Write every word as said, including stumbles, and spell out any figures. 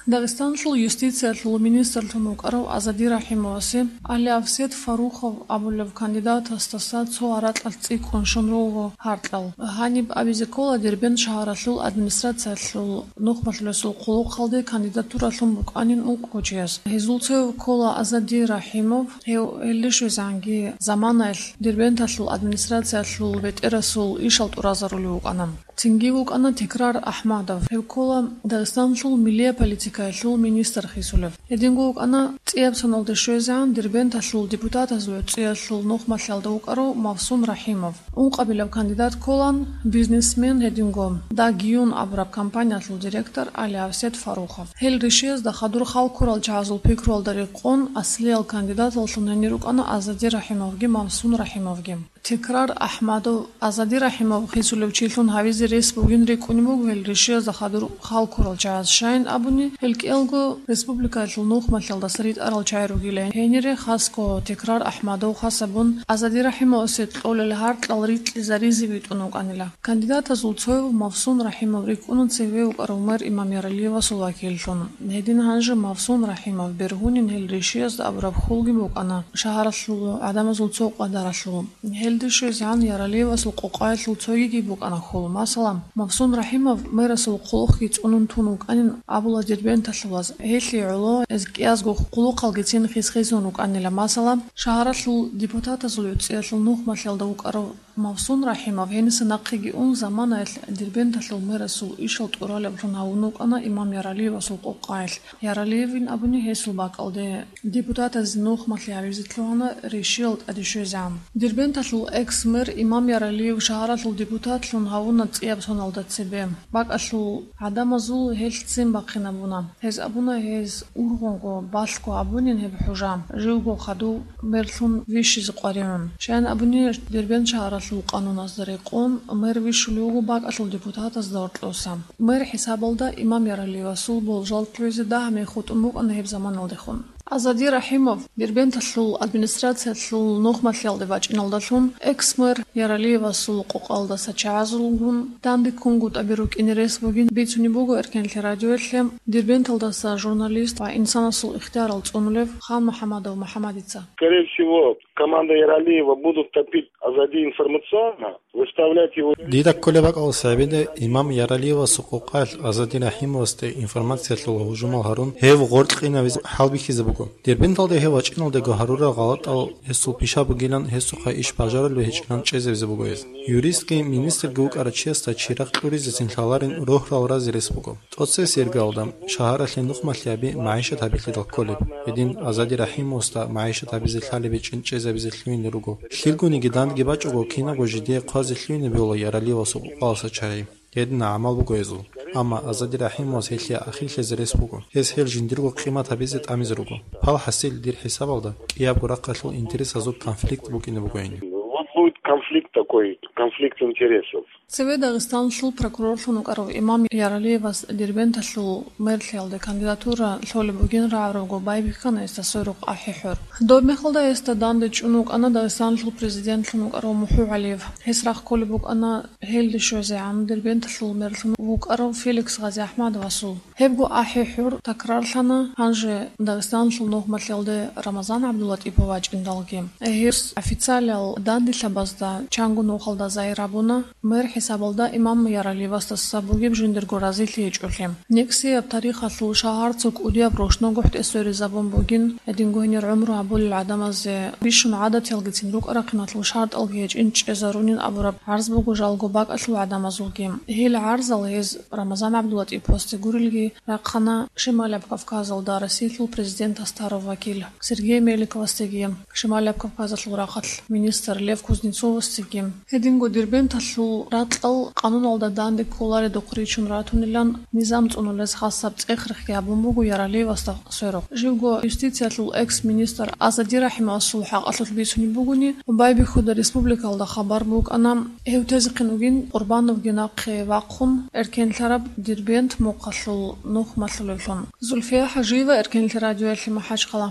Дагъистанлъул юстициялъул министрлъун вукӀарав Азади Рахимовасе Алявсет Фарухов абулев кандидатасдаса цо гьаракьалъ цӀикӀкӀун щун руго гьаркьал. Гьаниб абизе ккола Дербент шагьаралъул администрациялъул нухмалъулесул хъулухъалде кандидатуралъун букӀанин ункъго чияс. Гьезул цояв ккола Азади Рахимов, гьев гьелде щвезегӀанги заманаялъ Дербенталъул администрациялъул бетӀерасул ишал тӀуразарулев вукӀана. Цинги вукӀана Текрар Ахмадов. Гьев ккола Дагъистанлъул милия политикаялъул министр хисулев. Гьединго вукӀана цӀияб соналде щвезегӀан Дербенталъул депутатазул гӀуцӀиялъул нухмалъиялда вукӀарав Мавсун Рахимов. Ункъабилеб кандидат кколан бизнесмен, гьединго Дагиюн абураб компаниялъул директор Алявсет Фарухов. Гьел решиязда хадур хал ккурал чагӀазул пикруялда рекъон аслиял кандидаталлъун гьенир рукӀана Азади Рахимовги Мавсун Рахимовги. Текрар Ахмадов Азади Рахимов хисулев чилъун гьавизе рес бугин рикӀкӀунеб буго гьел решиязда хадур хал ккурал чагӀаз, щайин абуни, гьел кӀиялго республикаялъул нухмалъиялдаса ритӀарал чагӀи ругилан. Гьенире хасго Текрар Ахмадов хасабун Азади Рахимовасе кьолел гьаркьал рикьизаризе витӀун вукӀанила. Кандидатазул цояв Мавсун Рахимов рикӀкӀуна цеве вукӀарав мэр Имам Яралиевасул вакиллъун. Гьедин гьанже Мавсун Рахимов бергьунин гьел решиязда абураб хьулги букӀана шагьаралъул гӀадамазул цо къадаралъул. Гьелде щвезегӀан Яралиевасул къокъаялъул цогиги букӀана хьул. Масала, Мавсун Рахимов мэрасул хъулухъги цӀунун тун вукӀанин абула дербенталъулаз. Гьелъие гӀоло гьез кӀиязго хъулухъалгицин хис-хисун рукӀанила. Масала, шагьаралъул депутатазул гӀуцӀиялъул нухмалъиялда вукӀарав Мавсун Рахимов гьениса нахъеги ун заманаялъ Дербенталъул мэрасул ишал тӀуралеблъун гьавун вукӀана Имам Яралиевасул къокъаялъ. Яралиевин абуни гьесул бакӀалде депутатазе нухмалъи гьабизе лъугьана решиял тӀаде щвезегӀан. Дербенталъул экс-мэр Имам Яралиев шагьаралъул депутатлъун гьавуна цӀияб соналда цебе. БакӀалъул гӀадамазул гьелъ ццин бахъинабуна. Гьез абуна, гьез ургъунго, балъго абунин гьеб хӀужа, живго хадув мерлъун вищизе къваригӀун. Щайин абуни, Дербент шагьаралъул къануназда рекъон, мэр вищулев вуго бакӀалъул депутатазда гьоркьоса. Мэр хӀисабалда Имам Яралиевасул болжал лъугӀизе дагьаб мех хутӀун букӀана гьеб заманалдехун. Азади Рахимов Дербенталъул администрациялъул нухмалъиялде бачӀиналдалъун экс-мэр Яралиевасул къокъалдаса чагӀазулгун данде ккунгутӀаби рукӀине рес бугин бицунеб буго Эркенлъи радиоялъе Дербенталдаса журналист ва инсанасул ихтиярал цӀунулев Хан МухӀамадов МухӀамадица. Скорее всего, команда Яралиева будут топить Азади информационно, выставлять его. Дида кколеб бакӀалас гьабида Имам Яралиевасул къокъалъ Азади Рахимовасде информациялъул гьужумал гьарун, гьев гъоркьинавизе хӀалбихьизе буго. Дербенталда гьев вачӀиналдего гьарурал гъалатӀал гьесул пиша бугилан, гьесухъа иш бажарулев гьечӀилан чӀезавизе буго гьез. Юристги министрги вукӀарав чиясда чирагъ кьуризецин лъаларин рогьрал разе рес буго. ТӀоцебесеб иргаялда шагьаралъе нухмалъиаби магӀишат гьабилъидал кколеб. Гьедин Азади Рахимовасда магӀишат гьабизе лъалеб гьечӀин чӀезабизе лъугьине руго. Лъилгуниги дандги бачӀого кинабго жидее хъвазе лъугьине бегьула Яралиевасул къокъалдаса чагӀи. Гьедин гӀамал буго гьезул. Амма Азади Рахимовас гьелъие ахирлъизе рес буго. Гьес гьел жиндирго къимат гьабизе тӀамизе руго. Пал хӀасил дир хӀисабалда кӀиябго рахъалъул интересазул конфликт букӀине бугойин. Вот будет конфликт такой, конфликт интересов. Цеве Дагъистанлъул прокурорлъун вукӀарав Имам Яралиевас Дербенталъул мерлъиялде кандидатура лъолеб бугин рагӀарабго байбихьана гьесда сверухъ АхӀи ХӀур. Доб мехалда гьесда данде чӀун вукӀана Дагъистанлъул президентлъун вукӀарав МухӀугӀалиев. Гьес рахъулеб букӀана гьелде щвезегӀан Дербенталъул мерлъун вукӀарав Феликс ГъазиахӀмадовасул. Гьебго АхӀи ХӀур такрарлъана гьанже Дагъистанлъул нухмалъиялде Рамазан ГӀабдуллатӀипов вачӀиндалги. Гьес официалиял данделъабазда чанго нухалда загьир гьабуна, мэр хӀисабалда Имам Яралиевасдаса бугеб жиндирго разилъи гьечӀолъи. НекӀсияб тарихалъул шагьар цо кӀудияб рушнагухӀде сверизабун бугин, гьединго гьенир гӀумру гьабулел гӀадамазе бищун гӀадатиялгицин рукӀа-рахъиналъул шартӀалги гьечӀин чӀезарунин абураб гӀарз буго жалго бакӀалъул гӀадамазулги. Гьел гӀарзал гьез Рамазан ГӀабдуллатӀиповасде гурелги рахъана Шималияб Кавказалда Россиялъул президент Астаров вакил Сергей Меликовасдеги, Шималияб Кавказалъул рахъалъ министр Лев Кузнецовасдеги. Гьединго Дербенталъул ракьал къануналда данде кколаредухъ ричун ратунилан низам цӀунулез хасаб цӀех-рехги гьабун буго Яралиевасда сверухъ. Живго юстициялъул экс-министр Азади Рахимовасул хӀакъалъулъ бицунеб бугони, байбихьуда республикалда хабар букӀана, гьев тезехъин вугин Къурбановги нахъе вахъун, эркенлъараб Дербент мухъалъул нухмалъулевлъун. Зульфия ХӀажиева, Эркенлъи радиоялъе МахӀачхъала.